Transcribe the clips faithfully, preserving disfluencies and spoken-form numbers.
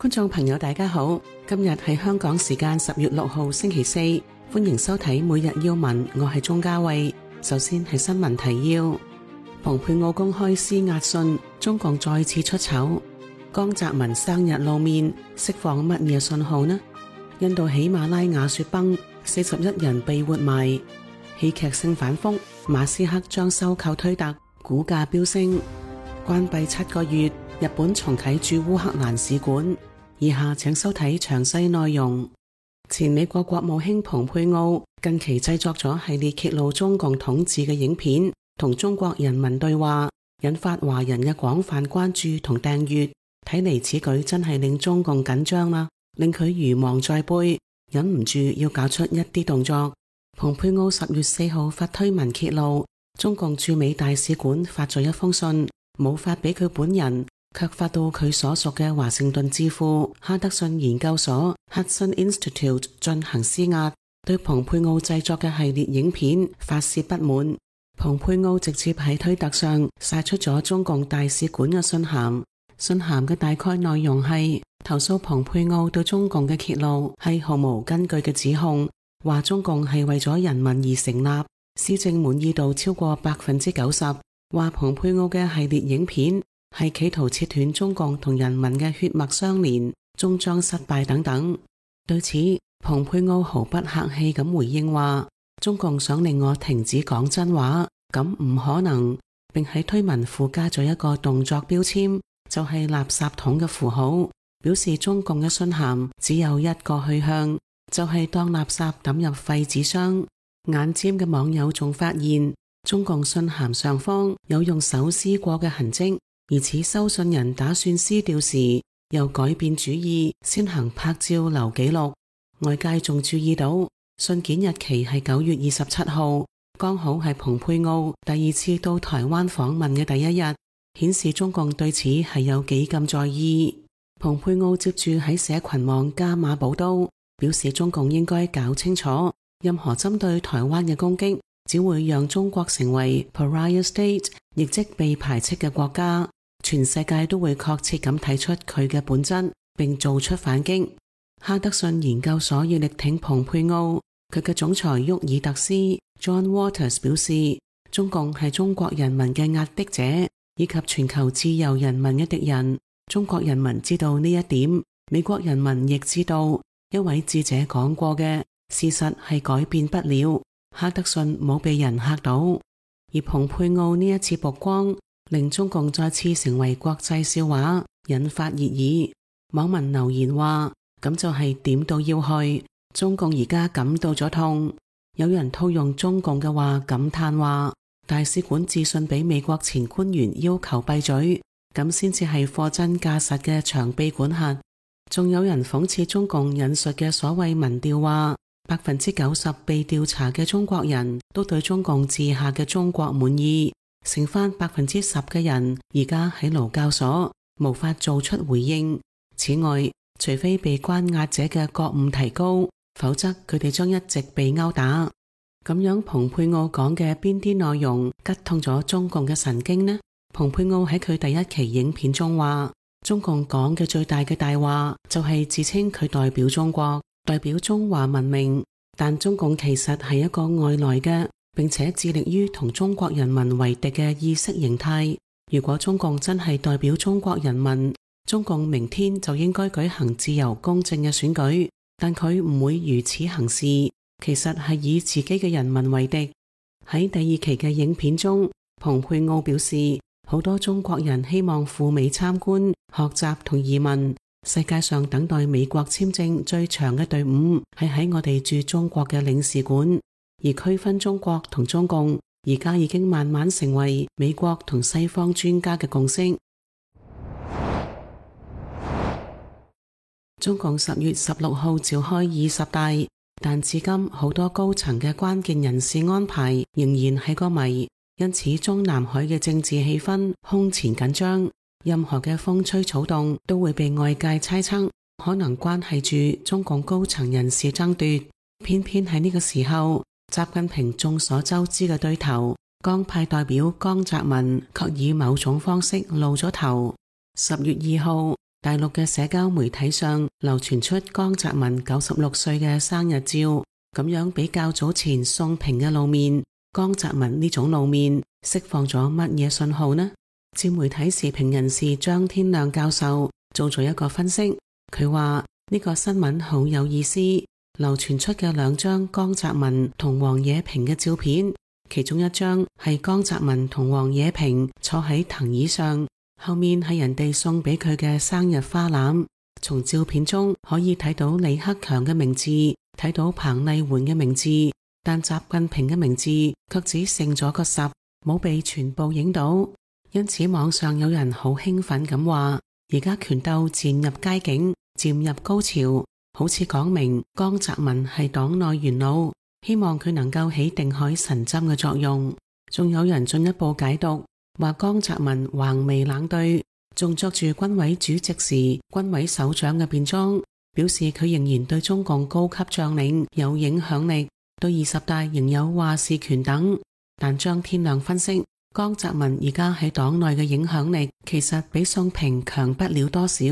觀眾朋友大家好，今日係香港時間十月六號星期四，歡迎收睇每日要聞，我係鍾嘉慧。首先係新聞提要：蓬佩奧公開施壓信，中共再次出醜。江澤民生日露面，釋放乜嘢信號呢？印度喜馬拉雅雪崩，四十一人被活埋。戲劇性反覆，馬斯克將收購推特，股價飆升。關閉七個月，日本重啟駐烏克蘭使館。以下請收睇詳細內容。前美國國務卿蓬佩奧近期製作咗系列揭露中共統治嘅影片，同中國人民對話，引發華人嘅廣泛關注同訂閱。睇嚟此舉真係令中共緊張啦，令佢如芒在背，忍唔住要搞出一啲動作。蓬佩奧十月四號發推文揭露，中共駐美大使館發咗一封信，冇發俾佢本人，卻發到佢所屬嘅華盛頓智庫哈德遜研究所 Hudson Institute 進行施壓，對蓬佩奧製作嘅系列影片發洩不滿。蓬佩奧直接喺推特上晒出咗中共大使館嘅信函，信函嘅大概內容係投訴蓬佩奧對中共嘅揭露係毫無根據嘅指控，話中共係為咗人民而成立，施政滿意度超過百分之九十，話蓬佩奧嘅系列影片係企圖切斷中共同人民嘅血脈相連，終將失敗等等。對此，蓬佩奧毫不客氣咁回應話，中共想令我停止講真話，咁唔可能，並喺推文附加咗一個動作標籤，就係垃圾桶嘅符號，表示中共嘅信函只有一個去向，就係當垃圾抌入廢紙箱。眼尖嘅網友仲發現，中共信函上方有用手撕過嘅痕跡，而此收信人打算撕掉時，又改變主意，先行拍照留記錄。外界仲注意到，信件日期係九月二十七號，剛好係蓬佩奧第二次到台灣訪問嘅第一日，顯示中共對此係有幾咁在意。蓬佩奧接住喺社群網加碼補刀，表示中共應該搞清楚，任何針對台灣嘅攻擊，只會讓中國成為 pariah state， 亦即被排斥嘅國家。全世界都會確切咁睇出佢嘅本質，並做出反擊。哈德遜研究所要力挺蓬佩奧，佢嘅總裁沃爾特斯 John Waters 表示，中共係中國人民嘅壓迫者，以及全球自由人民嘅敵人。中國人民知道呢一點，美國人民亦知道。一位智者講過嘅事實係改變不了。哈德遜冇被人嚇到，而蓬佩奧呢一次曝光，令中共再次成為國際笑話，引發熱議。網民留言話，咁就係點到要害，中共而家感到咗痛。有人套用中共嘅話感嘆話，大使館致信俾美國前官員要求閉嘴，咁先至係貨真價實嘅長臂管轄。仲有人諷刺中共引述嘅所謂民調話，百分之九十被調查嘅中國人都對中共治下嘅中國滿意，剩翻百分之十嘅人而家喺勞教所，無法做出回應。此外，除非被關押者嘅覺悟提高，否則佢哋將一直被毆打。咁樣蓬佩奧講嘅邊啲內容拮痛咗中共嘅神經呢？蓬佩奧喺佢第一期影片中話，中共講嘅最大嘅大話就係自稱佢代表中國，代表中華文明，但中共其實係一個外來嘅，並且致力於同中國人民為敵嘅意識形態。如果中共真係代表中國人民，中共明天就應該舉行自由公正嘅選舉，但佢唔會如此行事，其實係以自己嘅人民為敵。喺第二期嘅影片中，蓬佩奧表示，好多中國人希望赴美參觀、學習同移民。世界上等待美國簽證最長嘅隊伍係喺我哋駐中國嘅領事館，而區分中國同中共而家已經慢慢成為美國同西方專家嘅共識。中共十月十六號召開二十大，但至今好多高層嘅關鍵人事安排仍然係個謎。因此中南海嘅政治氣氛空前緊張，任何嘅風吹草動都會被外界猜測可能關係住中共高層人事爭奪。偏偏喺呢個時候，習近平眾所周知嘅對頭江派代表江澤民卻以某種方式露咗頭。十月二號，大陸嘅社交媒體上流傳出江澤民九十六歲嘅生日照，咁樣比較早前宋平嘅露面，江澤民呢種露面釋放咗乜嘢信號呢？自媒體時評人士張天亮教授做咗一個分析，佢話呢個新聞好有意思，流傳出嘅兩張江澤民同王冶平嘅照片，其中一張係江澤民同王冶平坐喺藤椅上，後面係人哋送俾佢嘅生日花籃。從照片中可以睇到李克強嘅名字，睇到彭麗媛嘅名字，但習近平嘅名字卻只剩咗個十，冇被全部影到。因此網上有人好興奮咁話，而家權鬥漸入佳境，漸入高潮，好似講明江澤民係黨內元老，希望佢能夠起定海神針嘅作用。仲有人進一步解讀，話江澤民橫眉冷對，仲着住軍委主席時軍委首長嘅便裝，表示佢仍然對中共高級將領有影響力，對二十大仍有話事權等。但張天亮分析，江澤民而家喺黨內嘅影響力其實比宋平強不了多少。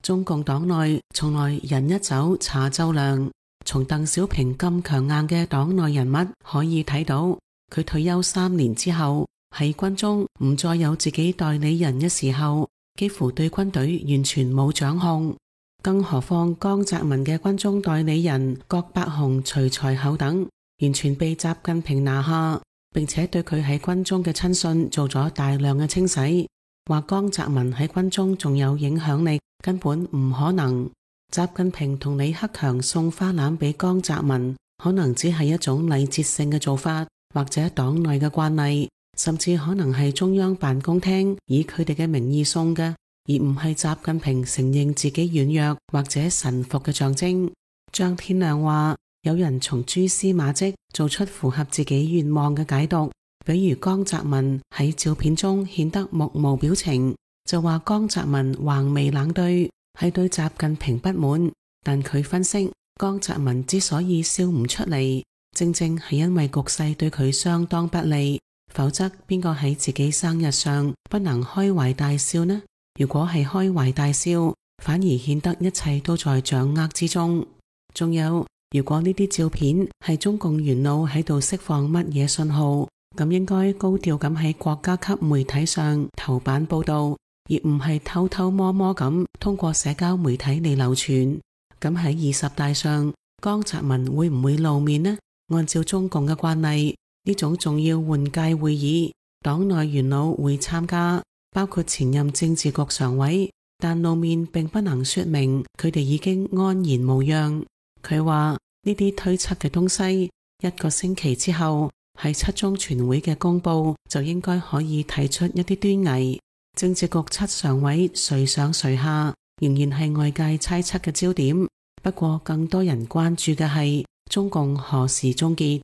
中共黨內從來人一走茶就涼，從鄧小平咁強硬嘅黨內人物可以睇到，佢退休三年之後喺軍中唔再有自己代理人嘅時候，幾乎對軍隊完全冇掌控。更何況江澤民嘅軍中代理人郭伯雄、徐才厚等完全被習近平拿下，並且對佢喺軍中嘅親信做咗大量嘅清洗，話江澤民喺軍中仲有影響力根本唔可能。習近平同李克強送花籃俾江澤民，可能只係一種禮節性嘅做法，或者黨內嘅慣例，甚至可能係中央辦公廳以佢哋嘅名義送嘅，而唔係習近平承認自己軟弱或者臣服嘅象徵。張天亮話，有人從蛛絲馬跡做出符合自己願望嘅解讀，比如江澤民喺照片中顯得目無表情，就話江澤民橫眉冷對係對習近平不滿。但佢分析，江澤民之所以笑唔出嚟，正正係因為局勢對佢相當不利，否則邊個喺自己生日上不能開懷大笑呢？如果係開懷大笑，反而顯得一切都在掌握之中。仲有，如果呢啲照片係中共元老喺度釋放乜嘢信號，咁應該高調咁喺國家級媒體上頭版報道，而唔係偷偷摸摸咁通過社交媒體嚟流傳。咁喺二十大上，江澤民會唔會露面呢？按照中共嘅慣例，呢種重要換屆會議，黨內元老會參加，包括前任政治局常委，但露面並不能說明佢哋已經安然無恙。佢話呢啲推測嘅東西，一個星期之後喺七中全會嘅公佈就應該可以睇出一啲端倪。政治局七常委誰上誰下，仍然係外界猜測嘅焦點。不過更多人關注嘅係中共何時終結。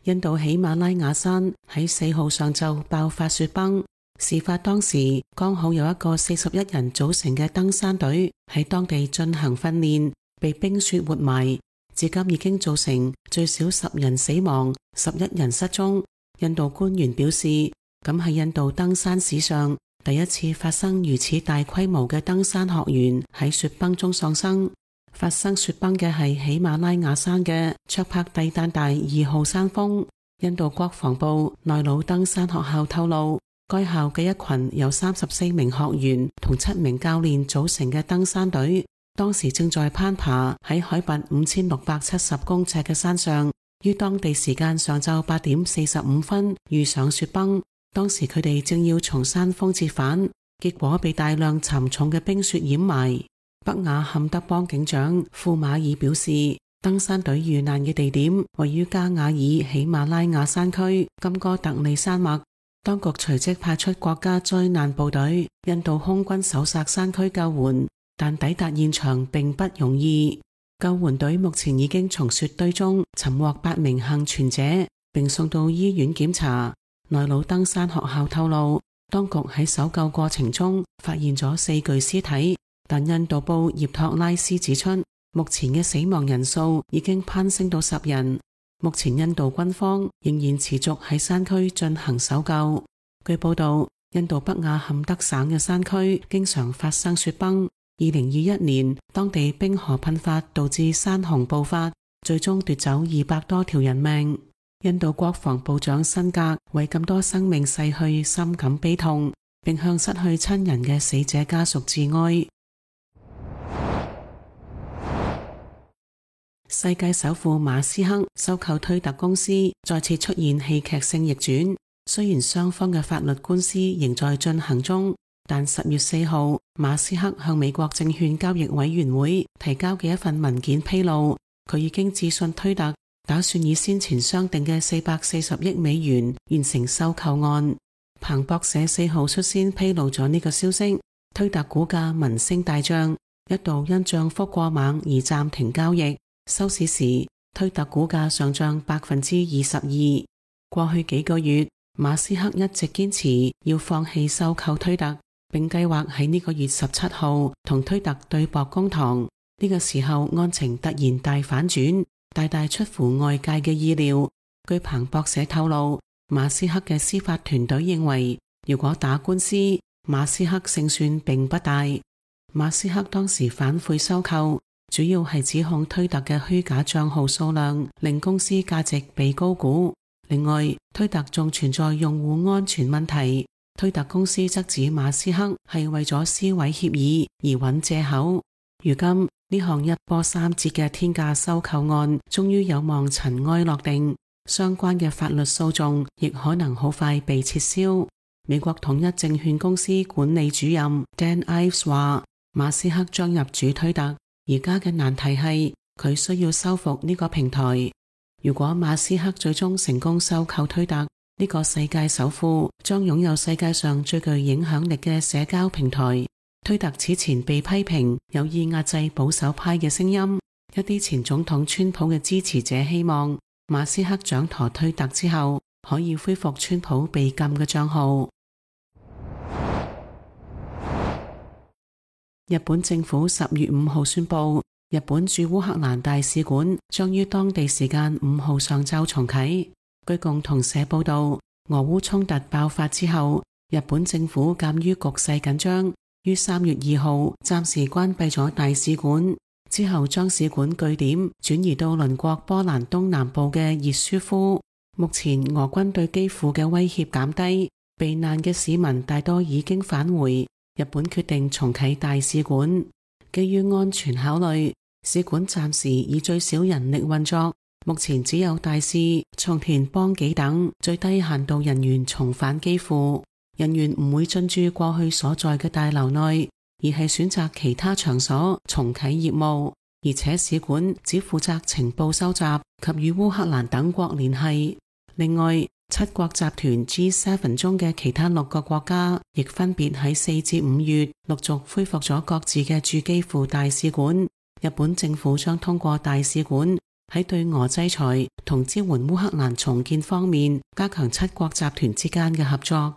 印度喜馬拉雅山喺四號上晝爆發雪崩，事發當時剛好有一個四十一人組成嘅登山隊喺當地進行訓練，被冰雪活埋，至今已經造成最少十人死亡，十一人失蹤。印度官員表示，咁係印度登山史上第一次發生如此大規模嘅登山學員喺雪崩中喪生。發生雪崩嘅係喜馬拉雅山嘅卓帕蒂丹大二號山峰。印度國防部內魯登山學校透露，該校嘅一群由三十四名學員同七名教練組成嘅登山隊，當時正在攀爬喺海拔五千六百七十公尺嘅山上，於當地時間上晝八點四十五分遇上雪崩。當時佢哋正要從山峰折返，結果被大量沉重嘅冰雪掩埋。北雅坎德邦警長庫馬爾表示，登山隊遇難嘅地點位於加瓦爾喜馬拉雅山區金哥特利山脈。當局隨即派出國家災難部隊、印度空軍搜索山區救援，但抵達現場並不容易。救援隊目前已經從雪堆中尋獲八名幸存者，並送到醫院檢查。內魯登山學校透露，當局喺搜救過程中發現咗四具屍體，但印度報葉托拉斯指出，目前嘅死亡人數已經攀升到十人。目前印度軍方仍然持續喺山區進行搜救。據報道，印度北亞坎德省嘅山區經常發生雪崩。二零二一年，當地冰河噴發導致山洪暴發，最終奪走二百多條人命。印度國防部長辛格為咁多生命逝去深感悲痛，並向失去親人嘅死者家屬致哀。世界首富馬斯克收購推特公司，再次出現戲劇性逆轉。雖然雙方嘅法律官司仍在進行中，但十月四號，馬斯克向美國證券交易委員會提交嘅一份文件披露，佢已經致信推特，打算以先前商定嘅四百四十億美元完成收購案。彭博社四號率先披露咗呢個消息，推特股價聞聲大漲，一度因漲幅過猛而暫停交易。收市時，推特股價上漲百分之二十二。過去幾個月，馬斯克一直堅持要放棄收購推特，並計劃喺呢個月十七號同推特對簿公堂。呢個時候案情突然大反轉，大大出乎外界嘅意料。據彭博社透露，馬斯克嘅司法團隊認為，如果打官司，馬斯克勝算並不大。馬斯克當時反悔收購，主要係指控推特嘅虛假賬號數量令公司價值被高估。另外，推特仲存在用戶安全問題，推特公司則指馬斯克係為咗撕毀協議而揾藉口。如今呢項一波三折嘅天價收購案終於有望塵埃落定，相關嘅法律訴訟亦可能好快被撤銷。美國統一證券公司管理主任 Dan Ives 話，馬斯克將入主推特，而家嘅難題係佢需要修復呢個平台。如果馬斯克最終成功收購推特，呢個世界首富將擁有世界上最具影響力嘅社交平台。推特此前被批評有意壓制保守派嘅聲音，一啲前總統川普嘅支持者希望馬斯克掌舵推特之後可以恢復川普被禁嘅賬號。日本政府十月五號宣布，日本駐烏克蘭大使館將於當地時間五號上晝重啟。據共同社報道，俄烏衝突爆發之後，日本政府鑒於局勢緊張，於三月二號暫時關閉咗大使館，之後將使館據點轉移到鄰國波蘭東南部嘅熱舒夫。目前俄軍對基輔嘅威脅減低，避難嘅市民大多已經返回。日本決定重啟大使館，基於安全考慮，使館暫時以最少人力運作，目前只有大使、松田邦紀等最低限度人員重返基輔，人員唔會進駐過去所在嘅大樓內，而係選擇其他場所重啟業務，而且使館只負責情報收集及與烏克蘭等國聯繫。另外，七國集團 G 七 中嘅其他六個國家亦分別喺四至五月陸續恢復咗各自嘅駐基輔大使館。日本政府將通過大使館喺對俄制裁同支援烏克蘭重建方面加強七國集團之間嘅合作。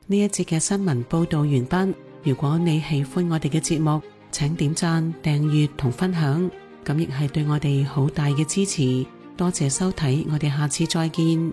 呢一節嘅新聞報道完畢。如果你喜歡我哋嘅節目，請點讚、訂閱同分享，咁亦係對我哋好大嘅支持。多謝收睇，我哋下次再見。